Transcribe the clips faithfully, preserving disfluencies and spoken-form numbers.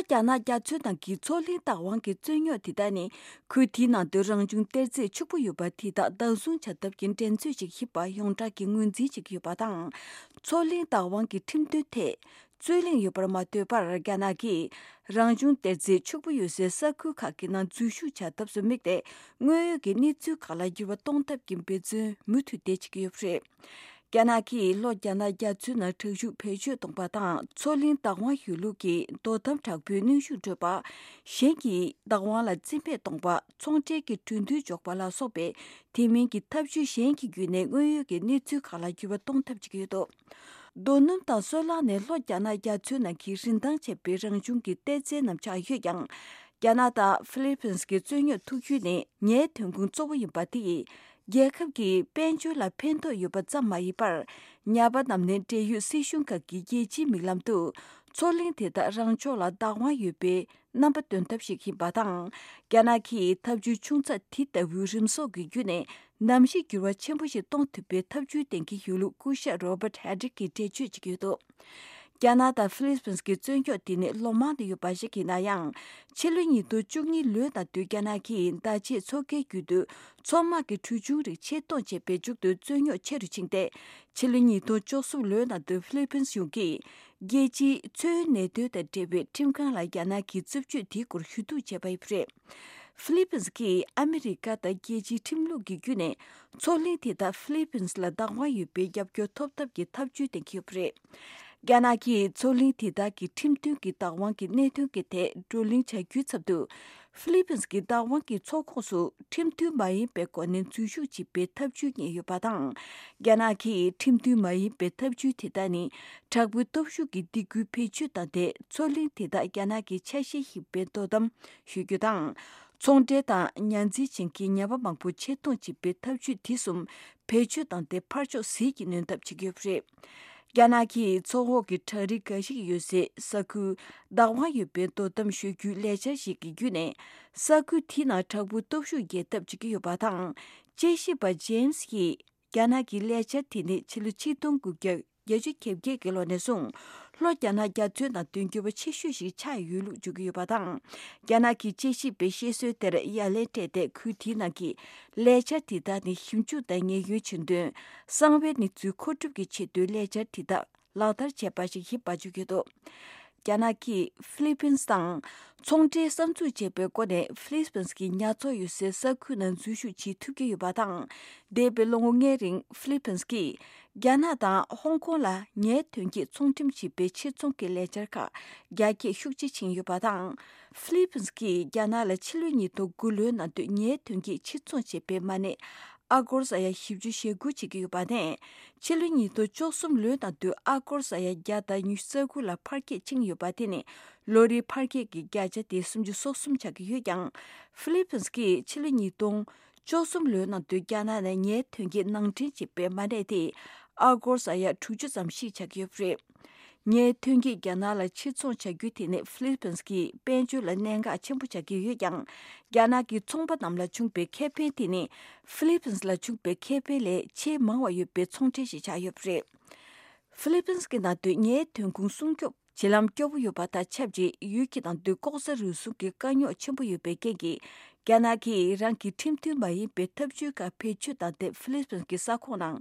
རྒྱ་ནག་རྒྱ་མཚོའི་ནང་གི་མཚོ་གླིང་བདག་དབང་གི་རྩོད་རྙོག་དེ་དག་ནི། ཁུལ་དེའི་ནང་དུ་རང་བྱུང་གཏེར་རྫས་ཕྱུག་པོ་ཡོད་པ་དེ་དག་བདག་བཟུང་བྱ་ཐབས་ཀྱི་འགྲན་རྩོད་ཅིག་ཡིན་པ་ཡོངས་གྲགས་ཀྱི་ངོས་འཛིན་བྱེད་ཀྱི་ཡོད་པ་དང་། མཚོ་གླིང་བདག་དབང་གི་ཁྲིམས་དོན་ཐད་རྩོད་གླེང་ཡོད་པར་མ་ལྟོས་པར། རྒྱ་ནག་གིས་རང་བྱུང་གཏེར་རྫས་ཕྱུག་པོ་ཡོད་སའི་ས་ཁུལ་ཁག་གི་ནང་འཛུལ་ཞུགས་བྱ་ཐབས་སུ་དམིགས་ཏེ། དངོས་ཡོད་ཀྱི་གནས་ཚུལ་ཁག་ལ་འགྱུར་བ་གཏོང་ཐབས་ཀྱི་འབད་བརྩོན་མུ་མཐུད་དེ་བྱེད་ཀྱི་ཡོད་པ་རེད། རྒྱ་ནག་གིས་ལྷོ་རྒྱ་ནག་རྒྱ་མཚོའི་ནང་དྲག་ཤུགས་བེད་སྤྱོད་གཏོང་པ་དང་། མཚོ་གླིང་བདག་དབང་ཡོད་ལུགས་ཀྱི་དོ་དམ་དྲག་པོའི་གནོན་ཤུགས་སྤྲོད་པ། གཞན་གྱི་བདག་དབང་ལ་རྩིས་མེད་གཏོང་པ། ཚོང་འབྲེལ་གྱི་གྲོས་མཐུན་འཇོག་པ་ལ་སོགས་པའི་དེ་མིན་གྱི་ཐབས་ཇུས་གཞན་གྱི་བརྒྱུད་ནས། དངོས་ཡོད་ཀྱི་གནས་ཚུལ་ཁག་ལ་འགྱུར་བ་གཏོང་ཐབས་བྱེད་ཀྱི་ཡོད་འདུག་རྡོ་སྣུམ་དང་སོལ་རླངས་ནི་ལྷོ་རྒྱ་ནག་རྒྱ་མཚོའི་ནང་གི་རིན་ཐང་ཆེ་བའི་རང་བྱུང་གི་གཏེར་རྫས་རྣམས་ཆགས་ཡོད་ཀྱང་། རྒྱ་ནག་དང་ཧྥི་ལི་ཕིན་གྱི་རྩོད་རྙོག་ཐུག་རྒྱུ་ནི་ངའི་ཐོན་ཁུངས་གཙོ་བོ་ཡིན་པ་དེ་ཡིས། རྒྱལ་ཁབ་ཀྱི་དཔལ་འབྱོར་ལ་ཕན་ཐོགས་ཡོད་པ་ཙམ་མ་ཡིན་པར། ཉ་པ་རྣམས་ནི་འབྲེལ་ཡོད་སྲིད་གཞུང་ཁག་གི་རྒྱལ་སྤྱིའི་མིག་ལམ་དུ། མཚོ་གླིང་དེ་དག་རང་ཕྱོགས་ལ་བདག་དབང་ཡོད་པའི་རྣམ་པ་སྟོན་ཐབས་ཤིག་ཡིན་པ་དང་། རྒྱ་ནག་གིས་ཐབས་ཇུས་ཆུང་ཙག་དེ་ལྟ་བུའི་རིམ་གསོག་གི་བརྒྱུད་ནས། གནམ་གཤིས་འགྱུར་བ་ཆེན་པོ་ཞིག་གཏོང་ཐུབ་པའི་ཐབས་ཇུས་འདོན་གྱི་ཡོད་ལུགས་སྐུ་ཞབས་Robert Habeck གིས་འགྲེལ་བརྗོད་བྱེད་ཀྱི་ཡོད་འདུག་རྒྱ་ནག་དང་ཧྥི་ལི་ཕིན་གྱི་རྩོད་རྙོག་དེ་ནི་ལོ་མང་དུ་ཡོད་པ་ཞིག་ཡིན་ན་ཡང་། ཕྱི་ལོ་ཉིས་སྟོང་བཅུ་གཉིས་ལོའི་ནང་དུ་རྒྱ་ནག་གིས་ཟླ་ཕྱེད་མཚོ་ཁའི་རྒྱུད་དུ་མཚོ་དམག་གི་གྲུ་ཆུང་རིགས་ཆེད་གཏོང་བྱས་པའི་མཇུག་ཏུ་རྩོད་རྙོག་ཆེ་རུ་ཕྱིན་ཏེ། ཕྱི་ལོ་ཉིས་སྟོང་བཅུ་གསུམ་ལོའི་ནང་དུ་ཧྥི་ལི་ཕིན་གཞུང་གིས་རྒྱལ་སྤྱིའི་མཚོའི་གནད་དོན་དང་འབྲེལ་བའི་ཁྲིམས་ཁང་ལ་རྒྱ་ནག་གི་རྩུབ་སྤྱོད་དེའི་སྐོར་ཞུ་གཏུག་བྱས་པ་ཡིན་པ་རེད། ཧྥི་ལི་ཕིན་གྱིས་ཨ་མི་རི་ཀ་དང་རྒྱལ་སྤྱིའི་ཁྲིམས་ལུགས་ཀྱི་བརྒྱུད་ནས་མཚོ་གླིང་དེ་དག་ཧྥི་ལི་ཕིན་ལ་བདག་དབང་ཡོད་པའི་རྒྱབ་སྐྱོར་ཐོབ་ཐབས་ཀྱི་ཐབས་ཇུས་འདོན་གྱི་ཡོད་པ་རེད། རྒྱ་ནག་གིས་མཚོ་གླིང་དེ་དག་གི་ཁྲིམས་མཐུན་གྱི་བདག་དབང་གི་གནད་དོན་གྱི་ཐད་བགྲོ་གླེང་བྱ་རྒྱུའི་ཚབ་ཏུ། ཧྥི་ལི་ཕིན་གྱི་བདག་དབང་གི་མཚོ་ཁོངས་སུ་ཁྲིམས་མཐུན་མ་ཡིན་པའི་སྒོ་ནས་འཛུལ་ཞུགས་བྱེད་པའི་ཐབས་ཇུས་རྙེད་ཡོད་པ་དང་། རྒྱ་ནག་གིས་ཁྲིམས་མཐུན་མ་ཡིན་པའི་ཐབས་ཇུས་དེ་དག་ནི། དྲག་པོའི་སྟོབས་ཤུགས་ཀྱི་སྡིགས་སྐུལ་བེད་སྤྱོད་བཏང་སྟེ། མཚོ་གླིང་དེ་དག་རྒྱ་ནག་གི་ཆ་ཤས་ཤིག་ཡིན་པའི་དོ་དམ་ཞུ་རྒྱུ་དང་། ཚོང་འབྲེལ་དང་ཉ་འཛིན་ཅན་གྱི་ཉ་པ་མང་པོ་ཆེད་གཏོང་བྱེད་པའི་ཐབས་ཇུས་དེ་གསུམ་བེད་སྤྱོད་བཏང་སྟེ། ཕར་ཕྱོགས་ཟིལ་གྱིས་གནོན་ཐབས་བྱེད་ཀྱི་ཡོད་པ་རེད། རྒྱ་ནག་གིས་མཚོ་འོག་གི་བྲག་རི་འགའ་ཞིག་ཡོད་སའི་ས་ཁུལ་བདག་དབང་ཡོད་པའི་དོ་དམ་ཞུ་རྒྱུའི་ལས་འཆར་ཞིག་གི་བརྒྱུད་ནས། ས་ཁུལ་དེའི་ནང་དྲག་པོའི་སྟོབས་ཤུགས་རྒྱས་ཐབས་བྱེད་ཀྱི་ཡོད་པ་དང་། དཔྱད་ཞིབ་པ་ཇེམ་སི་ཡིས། རྒྱ་ནག་གི་ལས་འཆར་དེ་ནི་ཕྱི་ལོ་ཆིག་སྟོང་དགུ་བརྒྱ་བརྒྱད་ཅུ་གྱ་བརྒྱད་ཀྱི་ལོ་ནས་བཟུང་། ལྷོ་རྒྱ་ནག་རྒྱ་མཚོའི་ནང་དོན་འགྱུར་བ་ཆེ་ཤོས་ཤིག་ཆགས་ཡོད་ལུགས་བརྗོད་ཀྱི་ཡོད་པ་དང་། རྒྱ་ནག་གི་དཔྱད་ཞིབ་པའི་བཤད་སྲོལ་དེར་ཡ་ལན་སྤྲད་དེ། ཁུལ་དེའི་ནང་གི་ལས་འཆར་དེ་དག་ནི་ཞིབ་འཇུག་དང་ཉེན་གཡོལ་ཆེད་དོན། གསང་བའི་གནས་ཚུལ་མཁོ་སྒྲུབ་ཀྱི་ཆེད་དུ་ལས་འཆར་དེ་དག་ལག་བསྟར་བྱས་པ་ཞིག་ཡིན་པ་བརྗོད་ཀྱི་འདུག་རྒྱ་ནག་གིས་ཧྥི་ལི་ཕིན་དང་ཚོང་འབྲེལ་གསར་འཛུགས་བྱས་པའི་སྒོ་ནས། ཧྥི་ལི་ཕིན་གྱི་ཉ་ཚོང་ཡོད་སའི་ས་ཁུལ་ནང་འཛུལ་ཞུགས་བྱེད་ཐུབ་ཀྱི་ཡོད་པ་དང་། འདས་པའི་ལོ་ངོ་ལྔའི་རིང་ཧྥི་ལི་ཕིན་གྱིས་རྒྱ་ནག་དང་ཧོང་ཀོང་ལ་ཉའི་ཐོན་སྐྱེད་ཚོང་འགྲེམས་བྱེད་པའི་ཕྱིར་ཚོང་གི་ལས་འཆར་ཁག་རྒྱ་སྐྱེད་ཤུགས་ཆེ་ཕྱིན་ཡོད་པ་དང་། ཧྥི་ལི་ཕིན་གྱིས་རྒྱ་ནག་ལ་ཕྱི་ལོ་ཉིས་སྟོང་དགུ་ལོའི་ནང་དུ་ཉའི་ཐོན་སྐྱེད་ཕྱིར་ཚོང་བྱས་པའི་མ་གནས། ཨ་སྒོར་ས་ཡ་བཞི་བཅུ་ཞེ་དགུ་བྱེད་ཀྱི་ཡོད་པ་དང་། ཕྱི་ལོ་ཉིས་སྟོང་བཅུ་གསུམ་ལོའི་ནང་དུ་ཨ་སྒོར་ས་ཡ་བརྒྱ་དང་ཉི་ཤུ་རྩ་དགུ་ལ་འཕར་སྐྱེད་ཕྱིན་ཡོད་པ། དེ་ནི་ལོ་རེའི་འཕར་སྐྱེད་ཀྱི་བརྒྱ་ཆ་དེ་སུམ་ཅུ་སོ་གསུམ་ཆགས་ཀྱི་ཡོད་ཀྱང་། ཧྥི་ལི་ཕིན་གྱིས་ཕྱི་ལོ་ཉིས་སྟོང་བཅུ་གསུམ་ལོའི་ནང་དུ་རྒྱ་ནག་ནས་ཉའི་ཐོན་སྐྱེད་ནང་འདྲེན་བྱས་པའི་མ་གནས་དེ་ཨ་སྒོར་ས་ཡ་དྲུག་ཅུ་ཙམ་ཞིག་ཆགས་ཀྱི་ཡོད་པ་རེད། ཉའི་ཐོན་སྐྱེད་རྒྱ་ནག་ལ་ཕྱིར་ཚོང་བྱ་རྒྱུ་དེ་ནི་ཧྥི་ལི་ཕིན་གྱི་དཔལ་འབྱོར་ལ་གནད་འགག་ཆེན་པོ་ཆགས་ཀྱི་ཡོད་ཀྱང་། རྒྱ་ནག་གི་ཚོང་པ་རྣམས་ལ་བྱུང་པའི་ཁེ་ཕན་དེ་ནི་ཧྥི་ལི་ཕིན་ལ་བྱུང་པའི་ཁེ་ཕན་ལས་ཆེས་མང་བ་ཡོད་པའི་ཚོང་འབྲེལ་ཞིག་ཆགས་ཡོད་པ་རེད། ཧྥི་ལི་ཕིན་གྱི་ནང་དུ་ཉའི་ཐོན་ཁུངས་སྲུང་སྐྱོབ་བྱེད་ལམ་སྐྱོ་པོ་ཡོད་པ་དང་ཆབས་ཅིག་ཡུལ་གྱི་ནང་དུ་ལྐོག་ཟ་རུལ་སུངས་ཀྱི་དཀའ་རྙོག་ཆེན་པོ་ཡོད་པའི་རྐྱེན་གྱིས། རྒྱ་ནག་གིས་རང་གི་ཁྲིམས་མཐུན་མ་ཡིན་པའི་ཐབས་ཇུས་ཁག་བེད་སྤྱོད་བཏང་སྟེ། ཧྥི་ལི་ཕིན་གྱི་ས་ཁོངས་ནང་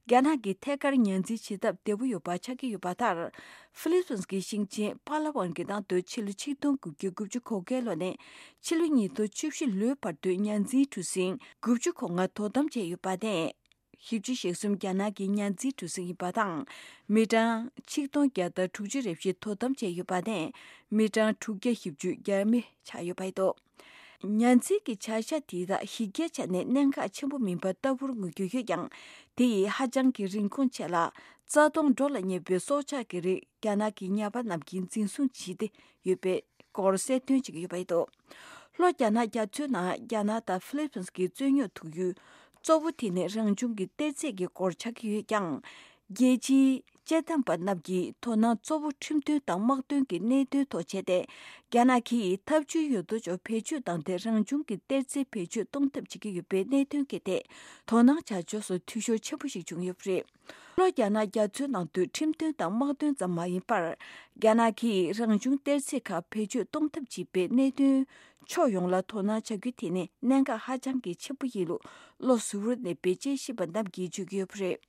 རྒྱ་ནག་གིས་ཐད་ཀར་ཉ་འཛིན་བྱེད་ཐབས་བདེ་པོ་ཡོད་པ་ཆགས་ཀྱི་ཡོད་པ་ལྟར། ཧྥི་ལི་ཕིན་གྱི་ཞིང་ཆེན་པ་ལ་ཝན་གྱི་ནང་དུ་ཕྱི་ལོ་ཆིག་སྟོང་དགུ་བརྒྱ་དགུ་བཅུ་གོ་བརྒྱད་ལོ་ནས་ཕྱི་ལོ་ཉིས་སྟོང་བཅུ་བཞི་ལོའི་བར་དུ་ཉ་འཛིན་གྲུ་གཟིངས་དགུ་བཅུ་གོ་ལྔ་དོ་དམ་བྱས་ཡོད་པ་དང་། བཞི་བཅུ་ཞེ་གསུམ་རྒྱ་ནག་གི་ཉ་འཛིན་གྲུ་གཟིངས་ཡིན་པ་དང་། མི་གྲངས་ཆིག་སྟོང་བརྒྱ་དང་དྲུག་ཅུ་རེ་བཞི་དོ་དམ་བྱས་ཡོད་པ་དང་། མི་གྲངས་དྲུག་བརྒྱ་བཞི་བཅུ་རྒྱ་མི་ཆགས་ཡོད་པ་རེད་འདུག་ཉ་འཛིན་གྱི་བྱ་གཞག་དེ་དག་གཞི་རྒྱ་ཆ་ནས་གནད་འགག་ཆེན་པོ་མིན་པ་ལྟ་བུར་ངོས་བསྒྱུར་ཡོད་ཀྱང་། དེ་ཡིས་ཧ་ཅང་གི་རིན་གོང་ཆེ་ལ། རྩ་སྟོང་འགྲོ་ལ་ཉེ་བའི་སྲོག་ཆགས་ཀྱི་རིགས་རྒྱ་ནག་གི་ཉ་པ་རྣམས་ཀྱིས་འཛིན་བཟུང་བྱས་ཏེ་ཡོད་པའི་སྐོར་གསལ་སྟོན་བྱེད་ཀྱི་ཡོད་པ་རེད་འདུག་ལྷོ་རྒྱ་ནག་རྒྱ་མཚོའི་ནང་རྒྱ་ནག་དང་ཧྥི་ལི་ཕིན་གྱི་རྩོད་རྙོག་ཐུག་ཡུལ་གཙོ་བོ་དེ་ནི་རང་བྱུང་གི་གཏེར་རྫས་ཀྱི་སྐོར་ཆགས་ཀྱི་ཡོད་ཀྱང་། རྒྱལ་སྤྱིའི་དཔྱད་གཏམ་པ་རྣམས་ཀྱིས་དོ་སྣང་གཙོ་བོ་ཁྲིམས་དོན་དང་དམག་དོན་གྱི་གནད་དོན་ཐོག་བྱས་ཏེ། རྒྱ་ནག་གིས་འཐབ་ཇུས་ཡོད་དོ་ཅོག་བེད་སྤྱོད་བཏང་སྟེ་རང་བྱུང་གི་གཏེར་རྫས་བེད་སྤྱོད་གཏོང་ཐབས་བྱེད་ཀྱི་ཡོད་པའི་གནད་དོན་གྱི་ཐད་དོ་སྣང་བྱ་ཕྱོགས་སུ་འཐུས་ཤོར་ཆེན་པོ་ཞིག་བྱུང་ཡོད་པ་རེད། ལྷོ་རྒྱ་ནག་རྒྱ་མཚོའི་ནང་དུ་ཁྲིམས་དོན་དང་དམག་དོན་ཙམ་མ་ཡིན་པར། རྒྱ་ནག་གིས་རང་བྱུང་གཏེར་རྫས་ཁག་བེད་སྤྱོད་གཏོང་ཐབས་བྱེད་པའི་གནད་དོན་ཕྱོགས་ཡོངས་ལ་དོ་སྣང་བྱ་རྒྱུ་དེ་ནི་གནད་འགག་ཧ་ཅང་གི་ཆེན་པོ་ཡིན་ལུགས་བློ་གཟུ་བོར་གནས་པའི་དཔྱད་ཞིབ་པ་རྣམས་ཀྱིས་བརྗོད་ཀྱི་ཡོད་པ་རེད།